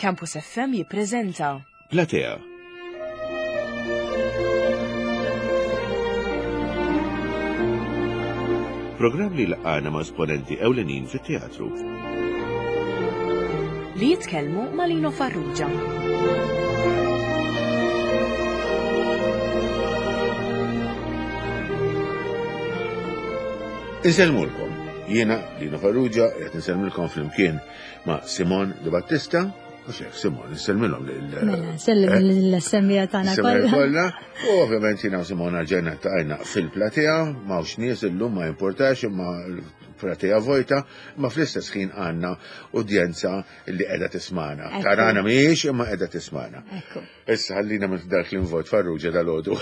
Campus FM jippreżenta. Platea. Programm li laqana ma' esponenti ewlenin fit-teatru. Li jitkellmu ma' Lino Farrugia. Insellmulkom. Jiena Lino Farrugia qed insellmilkom flimkien ma' Simon Di Battista, u xek Simon, insellmilhom lil. Mela, nsellem eh? l-semmija tagħna kollha. U ovvjament jiena u Simon ġejna taqajna fil-platea, m'hawnx nies illum ma importax imma l-platea vojta, imma fl-istess ħin għandna udjenza li qiegħda tismana. Tarana mhijiex imma qiegħda tismana. Issa ħallina minn dak l-invot Farrugia dal-għodu.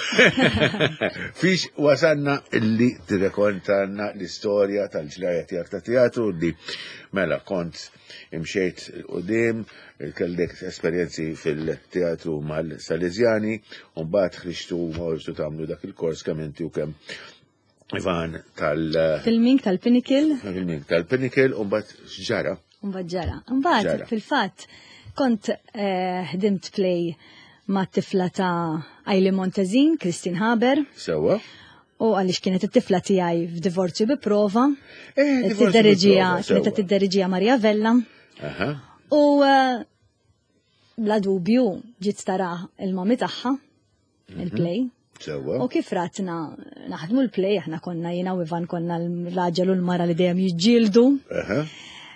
Fiex wasanna illi tirrekontanna l-istorja tal-ġrajja tiegħek ta' teatru li mela kont imxejt il-qudiem, kellek esperjenzi fil-teatru mal-Salesjani, u mbagħad ħriġtu mortu tagħmlu dak il-kors kemm inti u kemm Ivan tal- Filming tal-Pinnacle. Filming tal-Pinnacle, u mbagħad x'ġara? Mbagħad ġara. Mbagħad fil-fatt kont eh, ħdimt play ma' tifla ta' Aili Montezin, Christine Haber. Sewa. U għaliex kienet it-tifla tiegħi f'divorzju bi prova. Eh, Tidderiġija, kienet tidderiġija Maria Vella. U eh, bla dubju ġiet tara il-mami tagħha mhm. il-play. Sewa. U kif ratna naħdmu l-play, aħna konna jiena u Ivan konna l-raġel u l-mara li dejjem jiġġieldu.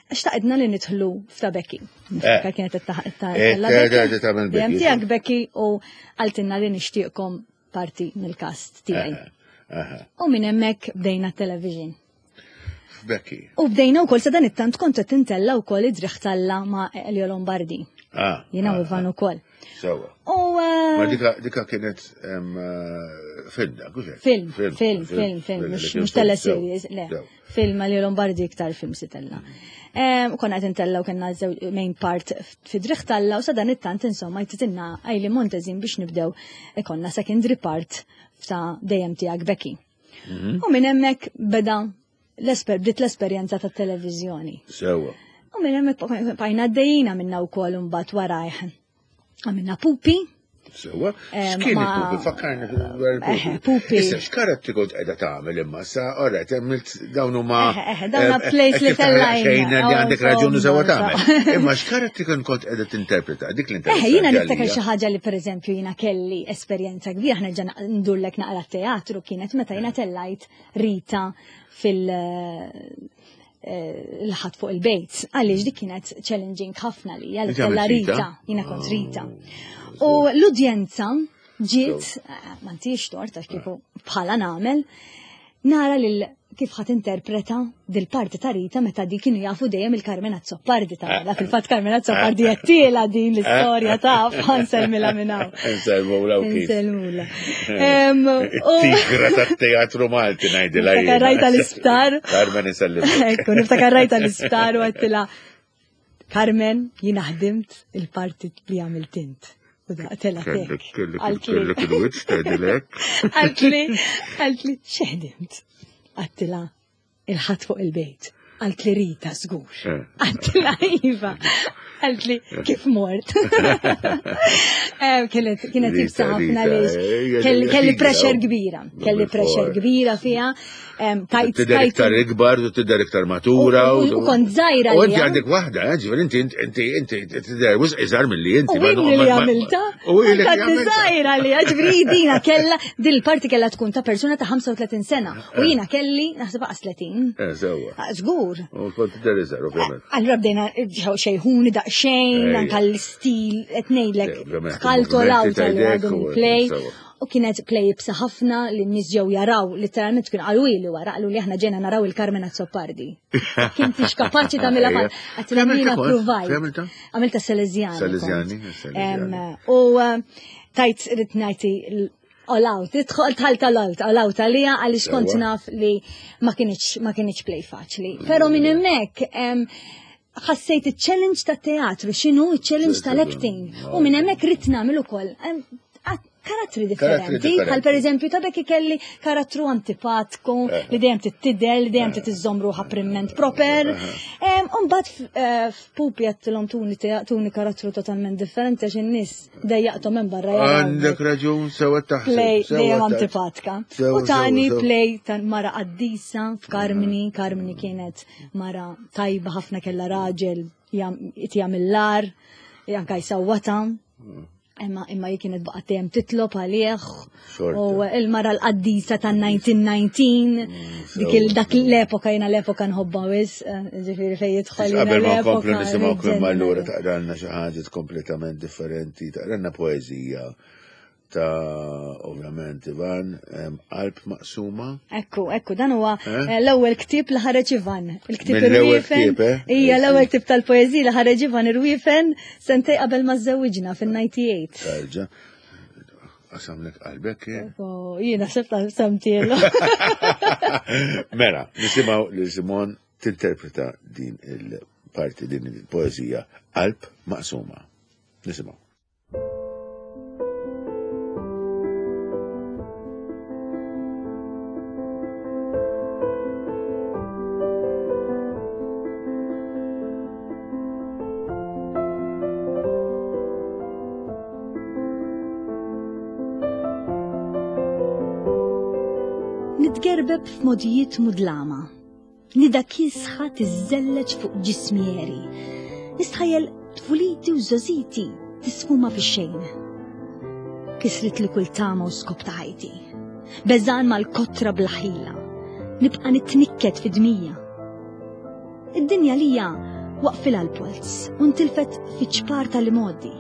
Xtaqidna li nidħlu f'ta' Becky. Eh. Kienet ta' Dejjem tiegħek Becky u għaltinna li nixtieqkom parti mill-kast tiegħi. U minn hemmhekk bdejna television. Becky. U bdejna wkoll sa dan it-tant kont qed tintella wkoll id-driħ talla ma' Elio Lombardi. Ah, Jiena u ah, Ivan ah. ukoll. Sewa. U eh, Ma dika dika kienet eh, film dak, hux hekk? Film, film, film, film, mhux teleseries, le. Film Elio Lombardi iktar film sitella. Konna qed intella u kellna main part fi driħ talla u sa dan it-tant insomma jtitinna għajli Montezin biex nibdew ikonna secondary part ta' dejjem tiegħek Becky. Mhm. U minn hemmhekk beda l-esper bdiet l-esperjenza tat-televiżjoni. Sewa. U minn hemmhekk bqajna għaddejjin għamilna wkoll imbagħad warajh. Għamilna pupi. Sewa. X'kien il-pupi? Fakkarni dwar il-pupi. Pupi. Issa x'karattri kont qiegħda tagħmel imma sa orret għamilt dawn huma. Dawn place li tellajn. Xejn li għandek raġun u sewa tagħmel. Imma x'karattri kont qiegħda tinterpreta dik l-interpreta. Eh, jiena niftakar xi ħaġa li pereżempju jiena kelli esperjenza kbira aħna ġa ndurlek naqra teatru kienet meta jiena tellajt Rita fil- eh, l-ħadd fuq il-bejt. Għaliex dik kienet challenging ħafna li għal tella Rita, jiena kont Rita. Oh, U l-udjenza ġiet, eh, ma ntix tort għax kieku bħala nagħmel, nara lil kif ħat interpreta dil-parti ta' Rita meta di kienu jafu dejjem il-Carmen Azzopardi ta' la fil-fatt Carmen Azzopardi qed din l-istorja ta' nsellmilha minn hawn. Nsellmula u kif. Nsellmula. Tigra tat-teatru Malti ngħidilha. Niftakar rajta l-isptar. Carmen isellimha. Ekku, niftakar rajta l-isptar u għedtilha Carmen, jiena ħdimt il-parti li għamilt int. U daqtela Kellek, kellek, kellek il-wiċċ tgħidilek. Qaltli, qaltli, x'ħdimt? Għedtilha il-ħadd fuq il-bejt. Qaltli Rita żgur. Eh. Għedtilha iva. Qaltli kif mort. Eh, kienet kienet Rita, ibsa ħafna Rita, lix. eh, Kelli hija kelli tigra, pressure oh. kbira, kelli pressure kbira fiha. Tajt Tidher iktar ikbar, u tidher iktar matura. U kont żgħira U inti għalija. għandek waħda, eh, ġifieri inti inti inti tidher wisq iżgħar milli inti. U inni li għamilta? U ili li Kont għamilta. żgħira li ġifieri dina kella din il-parti kella tkun ta' persuna ta' 35 sena. U jiena kelli naħseb aqas 30. Eh, sewwa. Ah, Żgur. U kont tidher iżgħar, ovvjament. Allura bdejna xejħuni daqsxejn, Ejja. anka l-istil, qed ngħidlek, Eh, ovvjament, tkaltolaw il-movimenti ta' tal idek għadhom u- il-play. sewwa. U kienet play ibsa ħafna li n-nies ġew jaraw, literalment kien qalu ili wara, qalu li aħna ġejna naraw il-Carmen Azzopardi. Kien tix kapaċi tagħmilha Ejja. għatilha Fejn jiena kont? provajt. Fejn għamilta? Għamilta Salesiani. Salesiani, kont. Salesiani. Em, U eh, tajt rrid ngħid all out, idħol tħalt all out, all out għalija għaliex kont Sewwa. naf li ma kienx ma kienx play faċli. Però minn hemmhekk em, ħassejt il-challenge ta' teatru, x'inhu il-challenge tal-acting. U minn hemmhekk ridt nagħmel ukoll. Em, Karattri differenti, bħal per eżempju ta' Becky kelli karattru antipatku eh. li dejjem titidel, li dejjem eh. titiżżomm ruħha primment proper. Eh. Umbagħad f'Pupi għedtilhom tuni tuni karattru totalment differenti għax in-nies dejjaqthom minn barra. Għandek raġun sewa taħseb. Play dejjem antipatka. U tani play ta' mara qaddisa f'Karmini, Karmini kienet mara tajba ħafna kellha raġel jagħmel l-ar, anka jsawwata. Mm. Imma imma hi kienet baqgħet dejjem titlob għalih. U il-mara l-qaddisa tan-1919 mm, dik il dak l-epoka jiena l-epoka nħobbha wis, eh, ġifieri fejn jidħol. Qabel ma nkomplu nisimgħu imma allura taqralna xi ħaġa kompletament differenti, taqralna poeżija ta' ovvjament Ivan, qalb maqsuma. Ekku, ekku, dan huwa eh? Eh, l-ewwel ktieb li ħareġ Ivan. Il-ktieb irwiefen. Eh? Hija l-ewwel ktieb tal-poeżija li ħareġ Ivan irwiefen sentej qabel ma żewwiġna fin-98. Tarġa. Qasamlek qalbek kien? Jiena sebt samtielu. Mela, nisimgħu li Simon tinterpreta din il-parti din il-poeżija qalb maqsuma. Nisimgħu. Nitgerbeb f'modijiet mudlama. Nida kiesħa tiżżelleġ fuq ġismi għeri. Nistħajjel tfuliti u żgħożiti tisfuma fix-xejn. Kisritli kull tama u skop ta' ħajti. Beżgħan mal-kotra bla ħila. Nibqa' nitnikket fi dmija. Id-dinja lija waqfilha l-polz u ntilfet fiċ-ċpar tal-imgħoddi.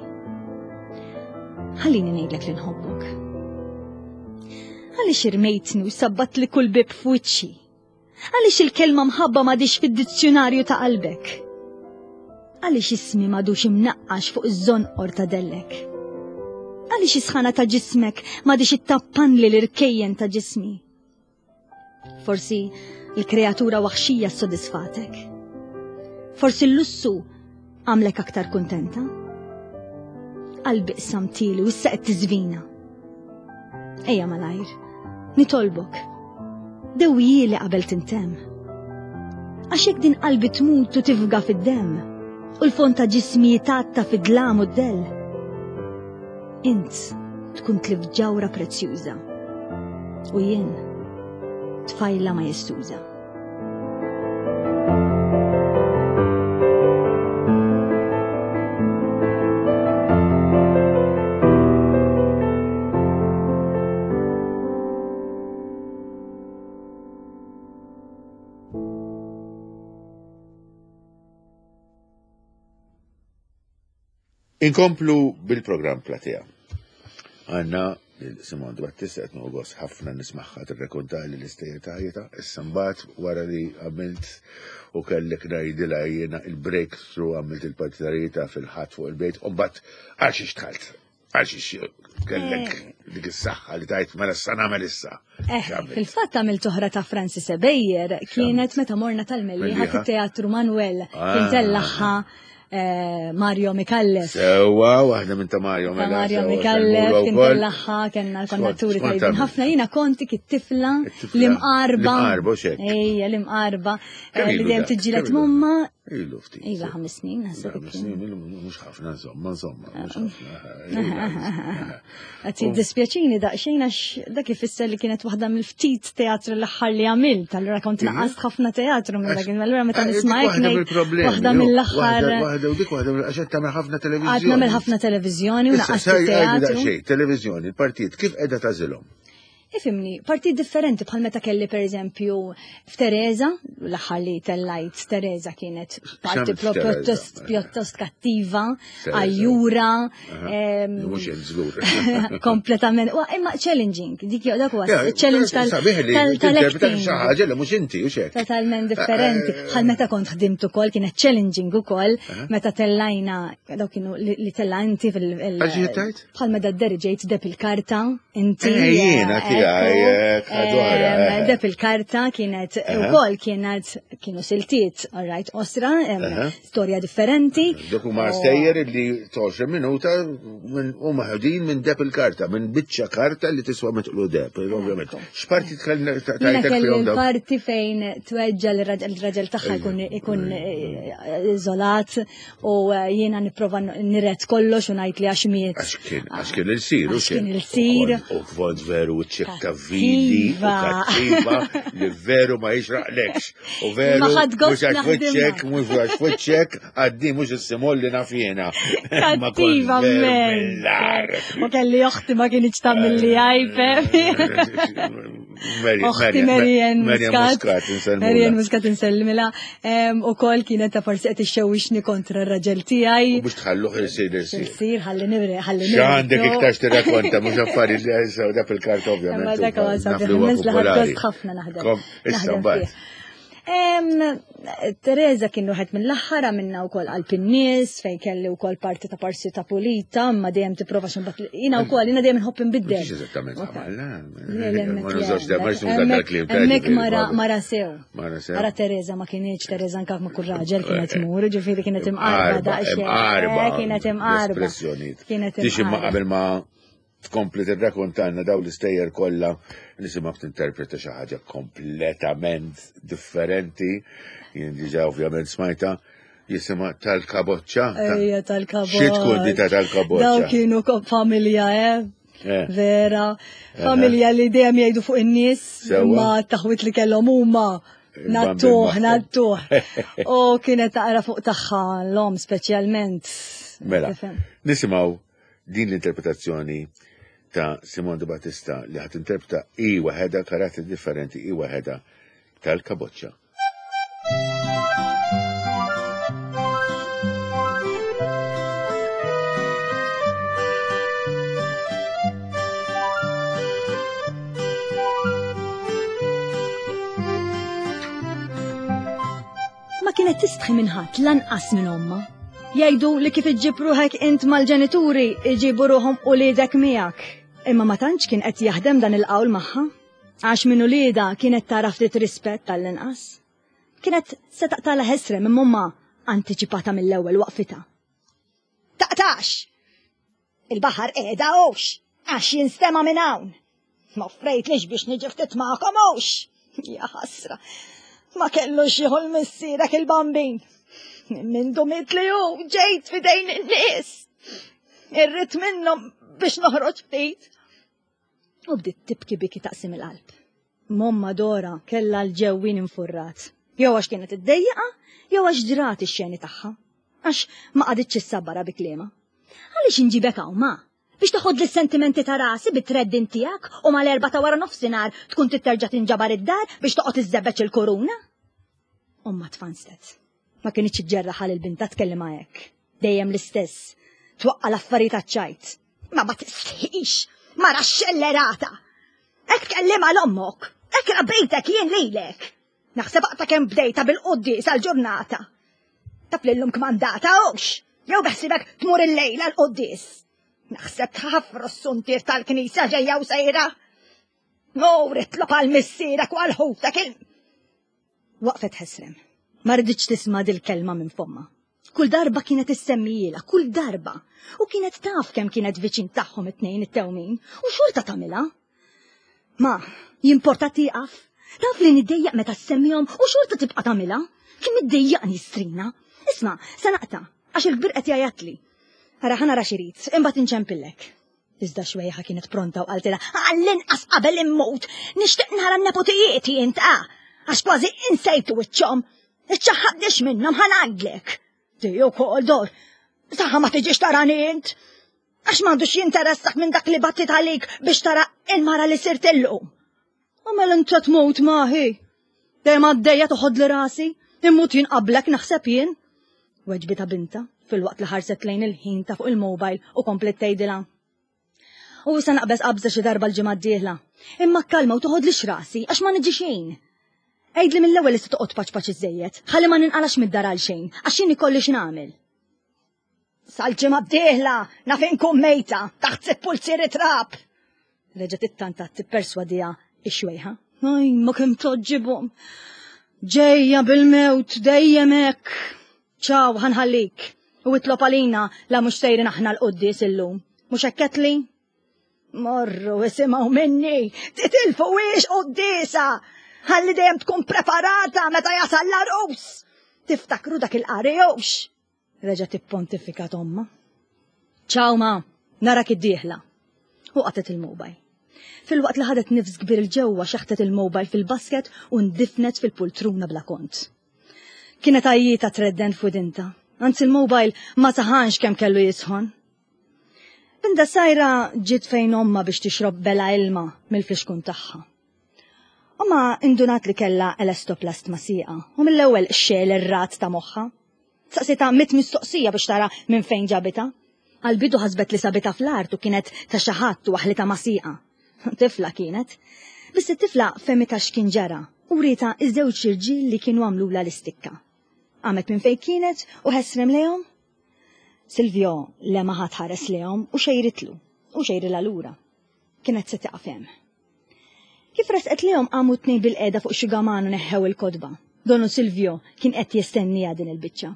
Ħallini ngħidlek li nħobbok. Għaliex irmejtni u sabbatli kull bib f'wiċċi? Għaliex il-kelma mħabba m'għadhiex fid-dizzjunarju ta' qalbek? Għaliex ismi m'għadux imnaqqax fuq iż-żonqor ta' dellek? Għaliex is-sħana ta' ġismek m'għadhiex ittappanli l-irkejjen ta' ġismi? Forsi l-kreatura waħxija ssodisfatek. Forsi l-lussu Għamlek aktar kuntenta? Qalbi qsamtili u issa qed tiżvina. Ejja malajr, nitolbok. Dewjieli qabel tintemm. Għax jekk din qalbi tmut u tifga fid-demm, u l-fond ta' ġismi jitgħatta fid-dlam u d-dell. Int tkun tlift ġawra prezzjuża. U jien tfajla majestuża. Inkomplu bil-programm Platea. Għanna Simon Battista qed nieħu gost ħafna nismagħha tirrekontali l-istejjer ta' ħajjitha. Issa mbagħad wara li għamilt u kellek ngħidilha jiena il-breakthrough għamilt il-partitarita fil-ħadd fuq il-bejt u mbagħad għal xiex dħalt. Għal xiex kellek eh. dik is-saħħa li tajt mela issa nagħmel issa. Eh, fil-fatt għamilt oħra ta' Francis Ebejer kienet meta morna tal-Mellieħa fit-Teatru Manuel kien ah. tellaħħa Eh, Mario Mikallef. Sewa, waħda minn ta' Mario mela. Mario Mikallef, kien tellaħħa, kena l-kondatturi tajbin ħafna, jina konti kit-tifla l-imqarba. L-imqarba, xek. Ejja, l-imqarba. Eh, li dejjem tiġġilet mumma. Ilu ftit. Iva, ħames snin, naħseb. Ħames snin, ilu mhux ħafna, insomma, insomma, mhux ħafna. Qed jiddispjaċini daqsxejn għax dak ifisser li kienet waħda mill-ftit teatru l-aħħar li għamilt, allura kont mhm. naqast ħafna teatru minn dak allura meta eh, nisma' hekk waħda mill-aħħar. Waħda u dik waħda għax qed tagħmel ħafna televiżjoni. Qed nagħmel ħafna televiżjoni u naqast teatru. Televiżjoni, il-partijiet kif qiegħda tażilhom? Ifimni, partit differenti bħal meta kelli per eżempju f'Teresa, l-aħħar li tellajt Teresa kienet parti pjuttost pjuttost kattiva, għajjura. Mhux hemm żgur. Kompletament. Imma challenging, dik dak huwa challenge tal-acting. Xi ħaġa li mhux inti u xek. Totalment differenti. Eh, eh, bħal meta kont ħdimt ukoll kienet challenging ukoll meta tellajna dawk kienu li tella inti fil- Bħal meta dderiġejt deb il-karta, inti. Eh, jiena tiegħi, eh, Deb il-karta kienet ukoll kienet kienu siltiet, all right, osra, storja differenti. Dak huma stejjer li 20 minuta u maħudin minn deb il-karta, minn biċċa karta li tiswa mitqlu deb, ovvjament. X'parti tajtek fihom dawn? Parti fejn tweġġa l-raġel tagħha jkun eh, iżolat u eh, jiena nipprova niret kollox u ngħid li għax miet. Għax kien il-sir, u kien il-sir. U kont veru ċekta vili u kattiva li veru ma jixraqlekx. U veru mhux għax wiċċek, mhux għax wiċċek, għaddi mhux is-simol li naf jiena. Kattiva men. U kelli oħti ma kienx tagħmel li għajpe. Oħti Marian Muscat. Marian Muscat insellimila. U kol kienet ta' forsi qed ixxewwixni kontra r-raġel tiegħi. U biex tħalluh isir isir. Isir ħalli nibri ħalli nibri. X'għandek iktar tirrakkonta mhux affarijiet li għajsaw dak il-kart ovvjament. Ma dak huwa sabiħ, ħafna naħdem. Issa mbagħad. Teresa kien wieħed mill-aħħar għamilna wkoll qalb in-nies fejn kelli wkoll parti ta' parsita pulita, imma dejjem tipprova xi jiena wkoll jiena dejjem inħobb inbiddel. Mhux eżattament għamilna. Ma nużax da ma nużax dal-kliem. Hemmhekk mara mara sew. Mara sew. Mara Teresa ma kienx Teresa anke ma kull raġel kienet tmur, ġifieri kienet imqarba daqsxejn. Imqarba. Kienet imqarba. Kienet imqarba. Qabel ma tkompli tirrakontalna daw l-istejjer kollha nisimgħek tinterpreta xi ħaġa kompletament differenti. Jien diġà ovvjament smajta jisimha tal-kaboċċa. Ejja tal-kaboċċa. Xi tkun di ta' tal-kaboċċa? Daw kienu familja, eh? eh. Vera. Familja li dejjem jgħidu fuq in-nies ma taħwit li kellhom huma. Nattuh, nattuh. U kienet taqra fuq tagħha l-om speċjalment. Mela, nisimgħu Din l-interpretazzjoni ta' Simone Di Battista li ħat interpreta i waħedha karattri differenti i waħedha tal-kaboċċa. Ma kienet tistħi minn ħadd lanqas minn omma. Jgħidu li kif iġġib ruħek int mal-ġenituri iġibu ruħhom uliedek miegħek. Imma ma tantx kien qed jaħdem dan il-qawl magħha. Għax minn uliedha kienet tara ftit rispett tal-inqas. Kienet se taqtala ħesrem imma omma antiċipata mill-ewwel waqfitha. Taqtax! Il-baħar qiegħda hux, għax jinstema' minn hawn. Ma offrejtlix biex niġi ftit magħkom hux. Ja ħasra. Ma kellux jieħu l-missierek il-bambin. Minn dumit li hu ġejt fidejn in-nies. Irrid minnhom biex noħroġ ftit. U bdiet tibki biki taqsim il-qalb. Momma Dora kellha l-ġewwin infurrat. Jew għax kienet iddejjaqa, jew għax ġrat ix-xeni tagħha. Għax ma qagħditx issabbara bi kliemha. Għaliex inġibek hawn ma? Biex toħodli s-sentimenti ta' rasi bit-treddin tiegħek u mal-erbgħa ta' wara nofsinhar tkun trid terġa' tinġabar id-dar biex toqgħod iżżebbeġ il-kuruna? Ommha tfanslet. Ma kinitx iġġerraħha lil bintha tkellimha hekk. Dejjem l-istess. Twaqqa' l-affarijiet għaċ-ċajt. Ma ma tistħix! Mara xxellerata! Hekk tkellimha 'l ommok! Hekk rabbejtek jien lilek! Naħseb aqta' kemm bdejta bil-quddies għall-ġurnata. Taf li llum kmandata hux, jew beħsibek tmur illejla l-quddies. Naħseb tħaffru s-suntier tal-knisja ġejja u sejra. Mur itlob għal missierek u għal ħutek il. Waqfet ħesrem. Ma riditx tisma' dil-kelma minn fomma. Kull darba kienet issemmijielha, kull darba. U kienet taf kemm kienet viċin tagħhom it-tnejn it-tewmin, u xorta tagħmilha. Ma, jimporta tieqaf. Taf li niddejjaq meta ssemmihom u xorta tibqa' tagħmilha. Kemm iddejjaqni strina. Isma' se naqta' għax il-kbir qed jgħajjatli. Ara ħa nara x'irid, imbagħad inċempillek. Iżda xwejħa kienet pronta u qaltilha, għall-inqas qabel immut, nixtieq nara n-nepotijieti int ah, għax kważi insejtu wiċċhom. Iċċaħħadniex minnhom ħa ngħidlek. Di wkoll dor, saħħa ma tiġix tarani int. Għax m'għandux jinteressak minn dak li battit għalik biex tara il-mara li sirt illum. U mela inta tmut maħi. Dejjem għaddejja toħodli rasi, immut jien qablek naħseb jien. Weġbita binta filwaqt li ħarset lejn il-ħin ta' fuq il-mobile u komplet tgħidilha. U issa naqbeż qabża xi darba l-ġimgħa d-dieħla. Imma kalma u toħodlix rasi għax ma niġi xejn. Għidli mill-ewwel li se toqgħod paċ paċ iżejjed, ħalli ma ninqalax mid-dar għal xejn, għax jien ikolli x'nagħmel. Sal-ġimgħa d-dieħla naf inkun mejta taħt sitt pulzieri trab. Reġgħet ittantat tipperswadiha x-xwejħa. Aj, ma kemm toġġibhom. Ġejja bil-mewt dejjem hekk. Ċaw, ħanħallik. U itlob għalina la mhux sejrin aħna l-quddies illum. Mhux hekk li? Morru isimgħu minni, titilfu wiex quddiesa. Ħalli dejjem tkun preparata meta jasal l-arus. Tiftakru dak il-qari hux. Reġgħet ippontifikat ommha. Ċaw ma, narak id-dieħla. U qatgħet il-mobile. Filwaqt li ħadet nifs kbir 'il ġewwa xeħtet il-mobile fil-basket u ndifnet fil-pultruna bla kont. Kienet għajjieta tredden f'widinta. Anzi l-mobile ma saħanx kemm kellu jisħon. Binda sajra ġiet fejn omma biex tixrob bela ilma mill-flixkun tagħha. Omma indunat li kellha elastoplast ma' sieqa u mill-ewwel xegħel ir-rat ta' moħħha. Saqsitha mit mistoqsija biex tara minn fejn ġabitha. Għall-bidu ħasbet li sabitha fl-art u kienet ta' xi ħadd u waħlitha ma' sieqa. Tifla kienet. Biss it-tifla fehmitha x'kien ġara u wrietha iż-żewġ irġiel li kienu għamlulha l-istikka. Qamet minn fejn kienet u ħesrem lejhom. Silvio lemaħha tħares lejhom u xejritlu u xejrilha lura. Kienet se tieqaf hemm. Kif resqet lejhom qamu t-tnejn bilqiegħda fuq xi gaman u neħħew il-kotba. Donu Silvio kien qed jistenniha din il-biċċa.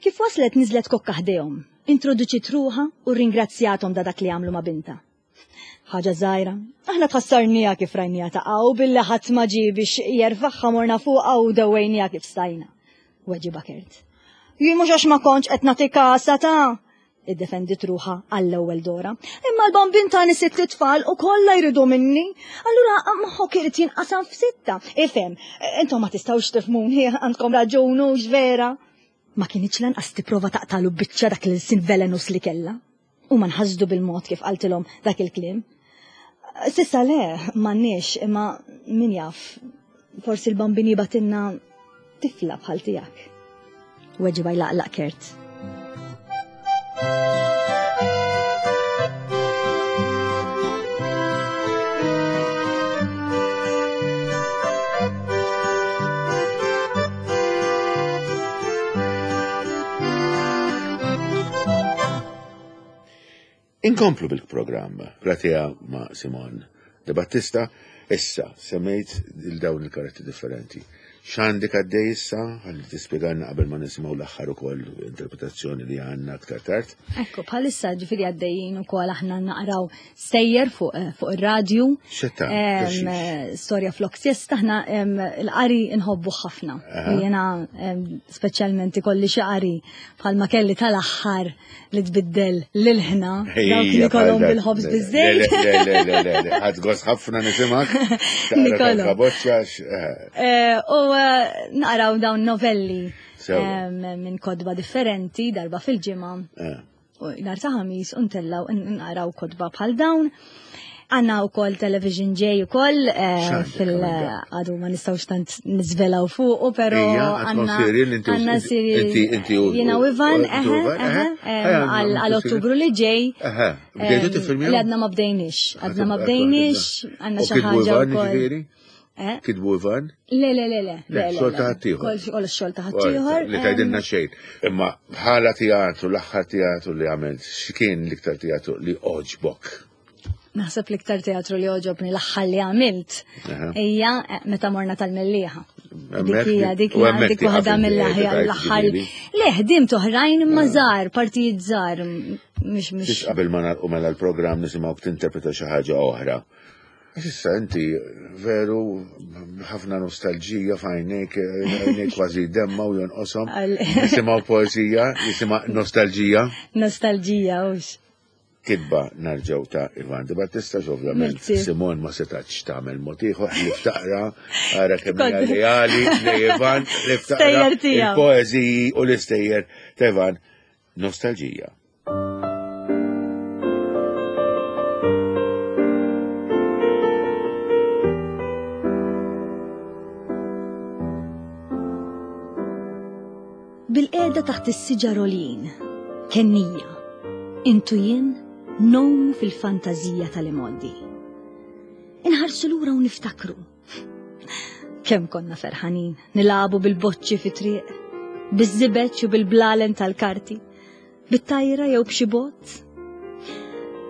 Kif waslet niżlet kokka ħdejhom, introduċiet ruħha u rringrazzjathom da dak li għamlu ma' bintha. Ħaġa żgħira, aħna tħassarniha kif rajniha taqa' u billi ħadd ma ġie biex jerfagħha morna fuqha u dewwejniha kif stajna. Weġibha Kurt. Jien mhux għax ma kontx qed nagħti kasha ta' Iddefendiet ruħha għall-ewwel Dora. Imma l-bambin tani sitt itfal u kollha jridu minni. Allura moħħok irid jinqasam f'sitta. Ifhem, intom ma tistgħux tifhmuni, għandkom raġun hux vera. Ma kinitx lanqas tipprova taqtalu biċċa dak l-ilsien velenus li kellha. Huma nħasdu bil-mod kif qaltilhom dak il-kliem. Sissa le, m'għandniex, imma min jaf, forsi l-bambin jibatilna tifla bħal tiegħek. Weġiba jlaqlaq Kurt. Inkomplu bil-programm Platea ma' Simon De Battista, issa semmejt il-dawn il-karattri differenti. X'għandek għaddej issa? Ħalli tispjegalna qabel ma nisimgħu l-aħħar ukoll interpretazzjoni li għandna aktar tard. Ekku, bħalissa ġifieri għaddejjin ukoll aħna naqraw stejjer fuq eh, fuq ir-radju. Xetta. Eh, storja flok siesta aħna l-qari nħobbu ħafna. Jiena speċjalment ikolli xi qari bħalma kelli tal-aħħar li tbiddel l-ħna, dawk li kolom bil-ħobż bizzejt. Le, le, le, le, le, ħad gost ħafna nisimak. Nikolom. Eh. Eh, u eh, naqraw dawn novelli minn kodba differenti darba fil-ġimgħa. U nhar ta' ħamis u ntellaw naqraw kodba bħal dawn. Għanna u koll television ġej u koll eh, fil-għadu ma nistawx tant nizvelaw fuq, pero għanna għanna serial jena u Ivan, għal ottubru li ġej. Bdejtu tifilmjaw? Li għadna ma bdejniex, għadna ma bdejniex, għanna xaħġa u koll. Eh? Kitbu Ivan? Le, le, le, le. Le, xogħol ta' ħaddieħor. Kol xogħol ta' ħaddieħor. Li tgħidilna xejn. Imma bħala teatru, l-aħħar teatru li għamilt, x'kien l-iktar teatru li oġbok? Naħseb l-iktar teatru li oġobni l-aħħar li għamilt hija eh, meta morna tal-Mellieħa. Dik hija dik dik waħda mill-aħjar l-aħħar. Le ħdimt oħrajn imma żgħar, partijiet żgħar mhux mhux. Qabel ma nagħlqu mela l-programm nisimgħu tinterpreta xi ħaġa oħra. Għax issa inti veru ħafna nostalġija f'għajnejk, għajnejk kważi demma u jonqoshom. Nisimgħu poeżija, nisimgħu nostalġija. Nostalġija, hux. Kitba narġgħu ta' Ivan Di Battista, ovvjament Simon ma setax tagħmel mod ieħor li ftaqra ara kemm hija leali li Ivan li ftaqra il-poeżiji u l-istejjer ta' Ivan Nostalġija. Bilqiegħda taħt is-siġar għoljin, kennija, int u jien ngħumu fil-fantażija tal-imgħoddi. Inħarsu lura u niftakru. Kemm konna ferħanin, nilagħbu bil-boċċi fit-triq, biż-żibeġ u bil-blalen tal-karti, bit-tajra jew b'xi bott.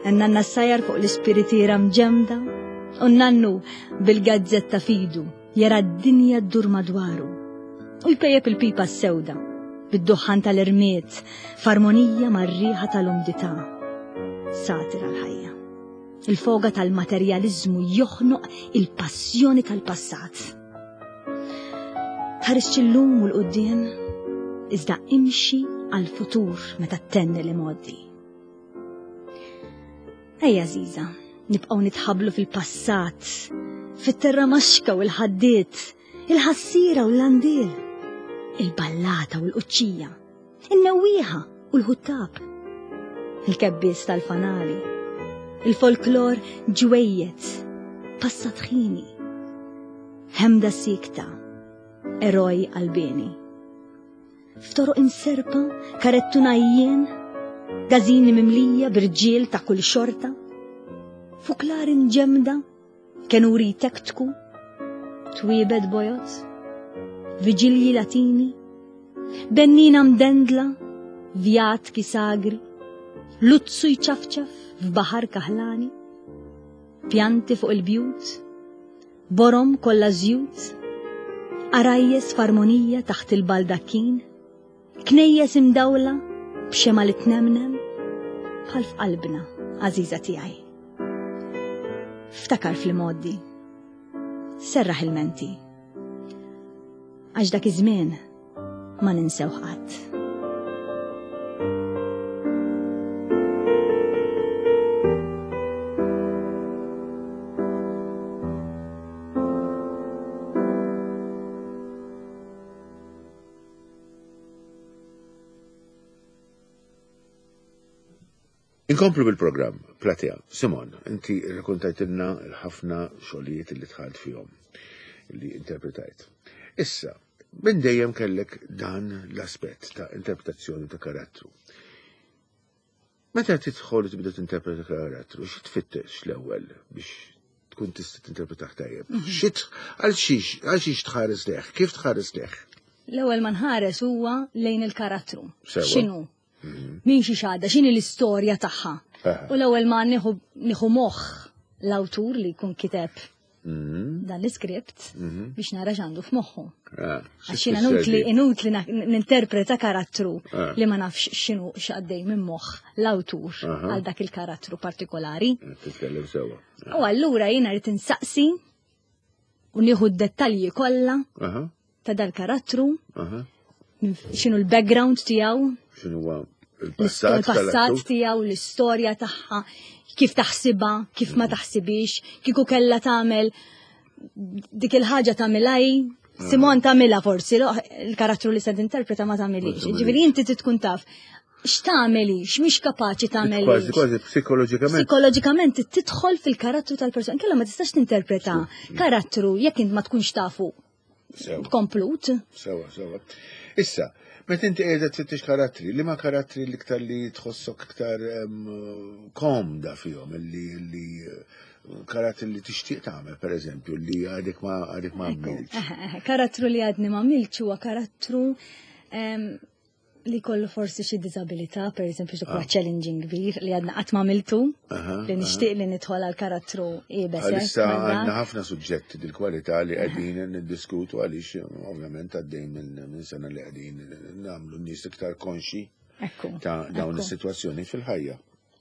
Għanna nassajjar fuq l-ispiritiera mġemda. U nannu bil-gazzetta fidu jara d-dinja ddur madwaru. U jpejjep il-pipa s-sewda bid-duħħan tal-irmied f'armonija mar-riħa tal-umdità. Satira l-ħajja. Il-foga tal-materjaliżmu joħnoq il-passjoni tal-passat. Tħarisx illum u l-qudiem, iżda imxi għal-futur meta ttenni li moddi. Ejja Ziza, nibqgħu nitħablu fil-passat, fit-terra maxka u l-ħaddiet, il-ħassira u l-landil, il-ballata u l-quċċija, in-newwieħa u l-ħuttab, il-kebbies tal-fanali, il-folklor ġwejjed, passat ħini, ħemda sikta, eroj qalbieni. F'toroq imserpa, karettun għajjien, gażini mimlija b'irġiel ta' kull xorta, fuklari mġemmda, kenuri jtektku, twiebet bojod, viġilji latini, bennina mdendla, vjatki sagri, luzzu jċafċaf f'baħar kaħlani, pjanti fuq il-bjut, Borom kollha żjut, għarajjes f'armonija taħt il-baldakkin, knejjes imdawla b'xema li tnemnem, bħal f'qalbna, għażiża tiegħi. Ftakar fl-imgħoddi. Serraħ il-menti. Għax dak iż-żmien ma ninsewh qatt. Inkomplu bil-programm, Platea. Simon, inti rrakontajtilna l-ħafna xogħlijiet li dħalt fihom, li interpretajt. Issa, minn dejjem kellek dan l-aspett ta' interpretazzjoni ta' karattru. Meta tidħol u tibda tinterpreta karattru, xi tfittex l-ewwel biex tkun tista' tinterpretah tajjeb? Mhm. Xi għal xiex għal xiex tħares leħ? Kif tħares leħ? L-ewwel ma nħares huwa lejn il-karattru. X'inhu? Mhm. Min xi xadda, x'inhi l-istorja tagħha. U l-ewwel ma nieħu moħħ l-awtur li jkun kiteb mhm. dan l-iskript mhm. biex nara x'għandu f'moħħu. Ah, Għax jiena inutli inutli ninterpreta karattru ah. li ma nafx x'inhu x'għaddej minn moħħ l-awtur għal dak il-karattru partikolari. Titkellem sewwa. U allura jiena rrid insaqsi u nieħu d-dettalji kollha ta' dal-karattru, x'inhu l-background tiegħu, x'inhu il-passat tiegħu, l-istorja tagħha, kif taħsibha, kif ma mm. taħsibix, kieku kellha tagħmel dik il-ħaġa tagħmilha hi, Simon tagħmilha forsi, il-karattru li se tinterpreta ma tagħmilix. Ġifieri inti tkun taf x'tagħmeli, x'mhix kapaċi tagħmel. Kważi kważi psikoloġikament. Psikoloġikament tidħol fil-karattru tal-persuna. Kella ma tistax tinterpreta karattru jekk int ma tkunx tafu. Komplut. Sewa, sewa. Issa, meta inti qiegħda tfittex karattri, li ma karattri l-iktar li tħossok iktar komda fihom, li li karattri li tixtieq tagħmel, per eżempju, li għadek ma għadek ma għamilx. Karattru li għadni ma għamilx huwa karattru li kollu forsi xi diżabilità, per eżempju, dak huwa ah. challenging kbir li għadna qatt ma għamiltu, li nixtieq li nidħol għal karattru iebes. Għalissa għandna ħafna suġġetti dil-kwalità li qegħdin niddiskutu għaliex ovvjament għaddej minn sena li qegħdin nagħmlu n-nies iktar konxi ta' dawn is-sitwazzjoni fil-ħajja.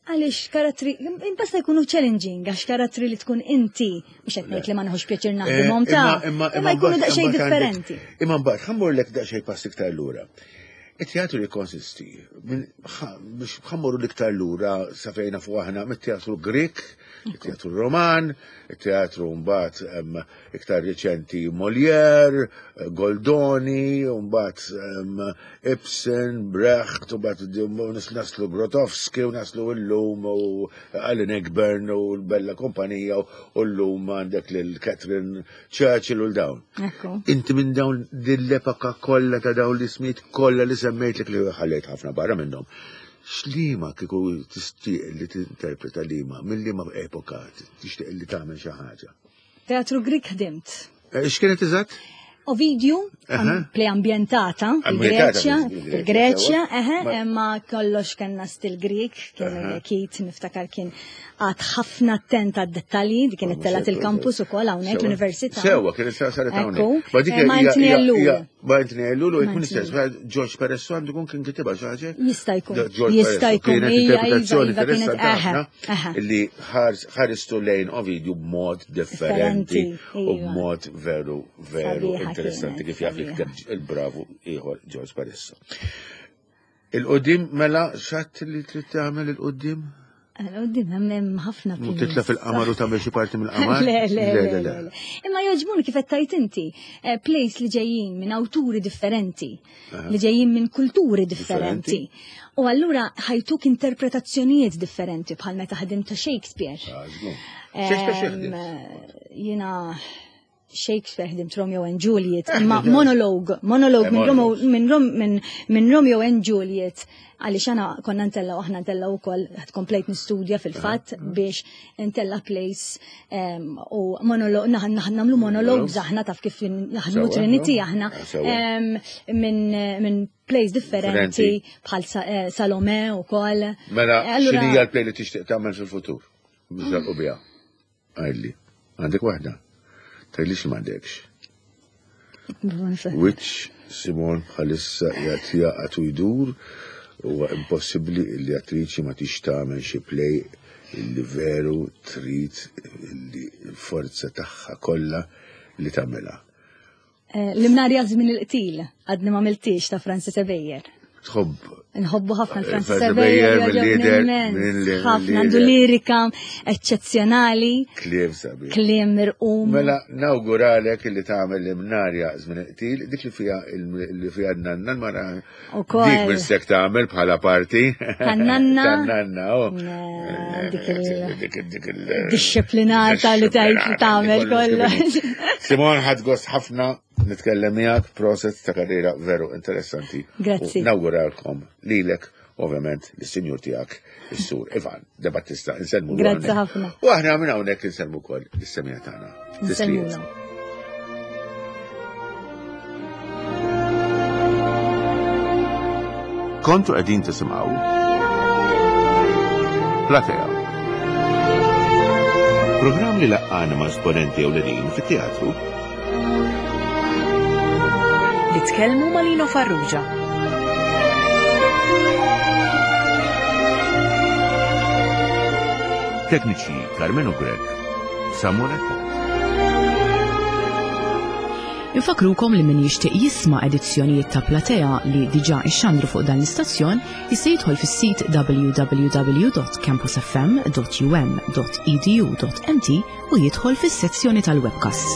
Għaliex karattri, imbasta jkunu challenging, għax karattri li tkun inti, mhux qed ngħid li ma nħux pjaċir eh, naħdimhom ta' imma jkunu daqsxejn differenti. Imma mbagħad ħammurlek daqsxejn pass iktar lura. It-teatru li konsisti, biex ħammurru l-iktar lura sa fejna fuq aħna mit-teatru Grek, it-teatru Roman, it-teatru mbagħad iktar riċenti Molière, Goldoni, mbagħad Ibsen, Brecht, u mbagħad naslu Grotowski u naslu llum u Alan Egburn u l-Bella Kompanija u llum għandek lil Catherine Churchill u l-dawn. Inti minn dawn dil-epoka kollha ta' dawn l-ismijiet kollha li semmejtlek li ħallejt ħafna barra minnhom. X'liema kieku tixtieq li tinterpreta liema, minn liema epoka tixtieq li tagħmel xi ħaġa? Teatru Grik ħdimt. Eh, x'kienet eżatt? Ovidju. Play ambjentata fil-Greċja, fil-Greċja, eħe, imma kollox kellna stil Grik, kien Kit niftakar kien għad ħafna attent għad-dettalji, dik kienet telgħet il-campus ukoll hawnhekk l-università. Sewwa, kienet saret hawnhekk. Ma dik Ma Anthony Ellul. Ma Anthony Ellul u jkun istess, George Peresso għandu jkun kien kitibha xi ħaġa? Jista' jkun. Jista' jkun. Kienet interpretazzjoni iva, iva, kienet ħafna li ħaristu lejn Ovidju b'mod differenti u iva. b'mod veru veru interessanti kif jaf jikteb il-bravu ieħor George Peresso. Il-qudiem mela xatt li trid tagħmel il-qudiem? Il-qudiem hemm ħafna. Titla fil-qamar u tagħmel xi parti mill-qamar? Le, le, le, le. Imma jogħġbuni kif qed tgħid inti, eh, plays li ġejjin minn awturi differenti, li ġejjin minn kulturi differenti. U allura ħajtuk interpretazzjonijiet differenti bħal meta ħadim ta' Shakespeare. Ah, Shakespeare Jiena Shakespeare ħdimt Romeo and Juliet, eh, imma monologue, monologue minn minn minn Romeo and Juliet, għaliex għana konna ntella aħna ntella u koll, komplejt nistudja fil-fat eh, eh. biex ntella place u monologue, naħn namlu monologues aħna taf kif naħdmu Trinity aħna minn plays differenti bħal Salome u koll. Mela, xinija l-play li tixtieq tagħmel fil-futur? Biex u biha. Għidli, għandek waħda? Tgħidlix li m'għandekx. Which Simon bħalissa qiegħed jaqgħad u jdur huwa impossibbli li attriċi ma tix tagħmel xi play li veru trid li l-forza tagħha kollha li tagħmilha. Eh, L-imnarja żmien il-qtil għadni ma miltix ta' Francis Ebejer. Tħobb. Nħobbu ħafna l-Francis Ebejer, mill-lider. Ħafna għandu lirika eċċezzjonali. Kliem sabi. Kliem mirqum. Mela nawguralek li tagħmel l-imnarja żmien il-qtil, dik li fiha li fiha nanna l-mara. Dik minn sek tagħmel bħala parti. Tan-nanna. Tan-nanna, oh. Dik il-disciplinata li tajt tagħmel kollox. Simon ħadd gost ħafna nitkellem miegħek proset ta' karriera veru interessanti. Grazzi. Nawguralkom lilek ovvjament lis-sinjur tiegħek is-sur Ivan De Battista inselmu. Grazzi ħafna. U aħna minn hawnhekk inselmu wkoll lis-semija tagħna. Insellmulhom. Kontu qegħdin tisimgħu Platea. Programm li laqqana ma' esponenti ewlenin fit-teatru. Li tkellmu ma' Lino Farrugia. Tekniċi Carmenu Grech, Samuel Attard. Infakrukom li min jixtieq jisma' edizzjonijiet ta' Platea li diġà ixxandru fuq dan l-istazzjon jista' jidħol fis-sit www.campusfm.um.edu.mt u jidħol fis-sezzjoni tal-webcasts.